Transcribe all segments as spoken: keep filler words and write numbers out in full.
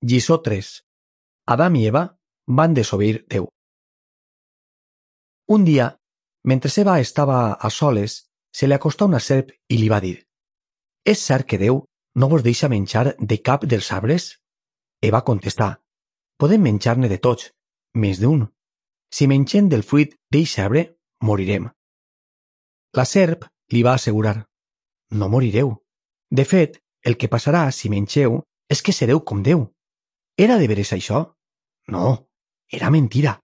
Lliçó tres. Adam i Eva van desobeir Déu. Un dia, mentre Eva estava a soles, se li acostà una serp i li va dir: «És cert que Déu no vos deixa menjar de cap dels arbres?» Eva contestà: «Podem menjar-ne de tots, més d'un. Si mengem del fruit d'eixe arbre, morirem». La serp li va assegurar: «No morireu. De fet, el que passarà si mengeu és que sereu com Déu». Era de veres això? No, era mentira.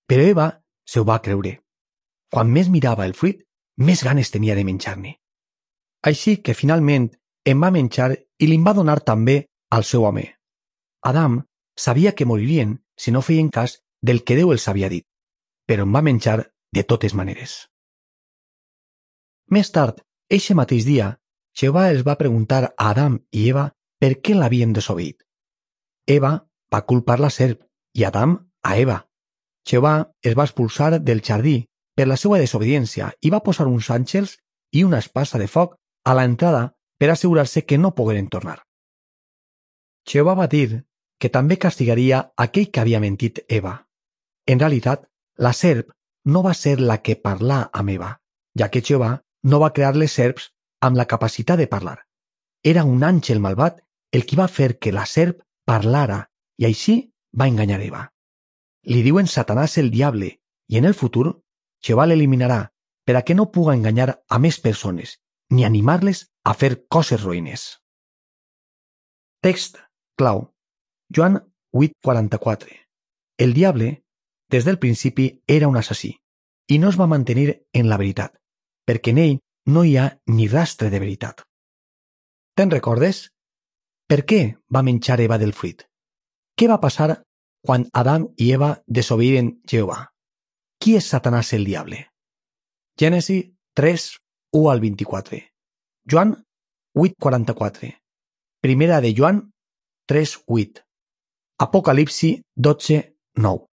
Però Eva se ho va creure. Quan més mirava el fruit, més ganes tenia de menjar-ne. Així que finalment en va menjar i li'n va donar també al seu home. Adam sabia que moririen si no feien cas del que Déu els havia dit, però en va menjar de totes maneres. Més tard, eixe mateix dia, Jehovà els va preguntar a Adam i Eva per què l'havien desobeït. Eva va culpar la serp i Adam a Eva. Jehovà es va expulsar del jardí per la seva desobediència i va posar uns àngels i una espasa de foc a l'entrada per assegurar-se que no pogueren tornar. Jehovà va dir que també castigaria aquell que havia mentit Eva. En realitat, la serp no va ser la que parlà amb Eva, ja que Jehovà no va crear les serps amb la capacitat de parlar. Era un àngel malvat el qui va fer que la serp parlara i així va enganyar Eva. Li diuen Satanàs el diable i en el futur Jehovà l'eliminarà per a que no puga enganyar a més persones ni animar-les a fer coses roïnes. Text clau. Joan vuit quaranta-quatre. El diable, des del principi, era un assassí i no es va mantenir en la veritat, perquè en ell no hi ha ni rastre de veritat. Te'n recordes? Per què va menjar Eva del fruit? Què va passar quan Adam i Eva desobeiren Jehovà? Qui és Satanàs el diable? Gènesi tres, u al vint-i-quatre. Joan vuit quaranta-quatre. Primera de Joan tres, vuit. Apocalipsi dotze, nou.